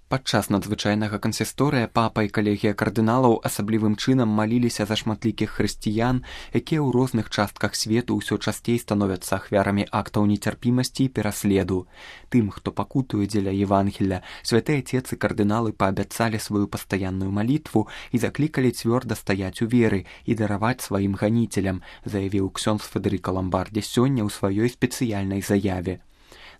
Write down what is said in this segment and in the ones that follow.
Падчас надзвычайнага кансісторыя папа і калегія кардыналаў асаблівым чынам маліліся за шматлікіх хрысціян, якія ў розных частках свету ўсё часцей становяцца ахвярамі актаў нецярпімасці і пераследу. Тым, хто пакутуе дзеля Евангелля, святыя отец і кардыналы паабяцалі сваю пастаянную малітву і заклікалі цвёрда стаяць у веры і дараваць сваім ганіцелям, заявіў ксёндз Федэрыка Ламбардзі сёння ў сваёй спецыяльнай заяве.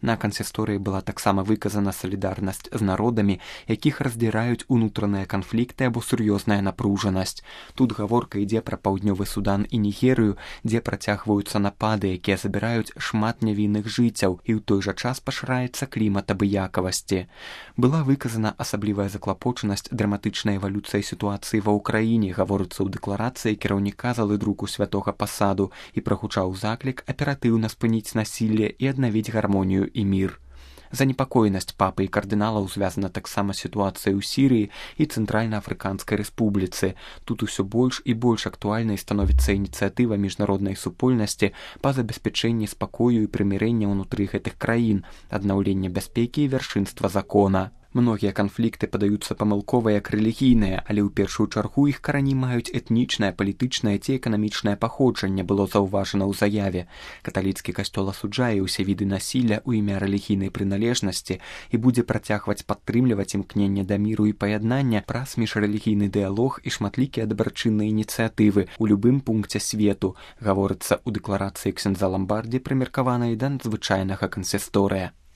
На кансісторыі была таксама выказана салідарнасць з народамі, якіх раздзіраюць унутраныя канфлікты або сур'ёзная напружанасць. Тут гаворка ідзе пра паўднёвы Судан і Нігерыю, дзе працягваюцца напады, якія забіраюць шмат нявінных жыццяў, і ў той жа час пашыраецца клімат абыякавасці. Была выказана асаблівая заклапочанасць драматычнай эвалюцыяй сітуацыі ва ўкраіне, гаворыцца ў дэкларацыі кіраўніка залы друку святога пасаду, і прагучаў заклік аператыўна спыніць насілле і аднавіць гармонію і мір. Занепакоенасць папы і кардыналаў звязана таксама з сітуацыяй у Сірыі і Цэнтральна-Афрыканскай рэспубліцы. Тут усё больш і больш актуальнай становіцца ініцыятыва міжнароднай супольнасці па забеспячэнні спакою і прымірэння ўнутры гэтых краін, аднаўлення бяспекі і вяршынства закона. Многія канфлікты падаюцца памылкова як рэлігійныя, але ў першую чаргу іх карані маюць этнічнае, палітычнае ці эканамічнае паходжанне, было заўважана ў заяве. Каталіцкі касцёл асуджае ўсе віды насілля ў імя рэлігійнай прыналежнасці і будзе працягваць падтрымліваць імкненне да міру і паяднання праз міжрэлігійны дыялог і шматлікія дабрачынныя ініцыятывы ў любым пункце свету, гаворыцца ў дэкларацыі ксёндза Ламбардзі, прымеркаванай да надзвычайнага кансісторыя.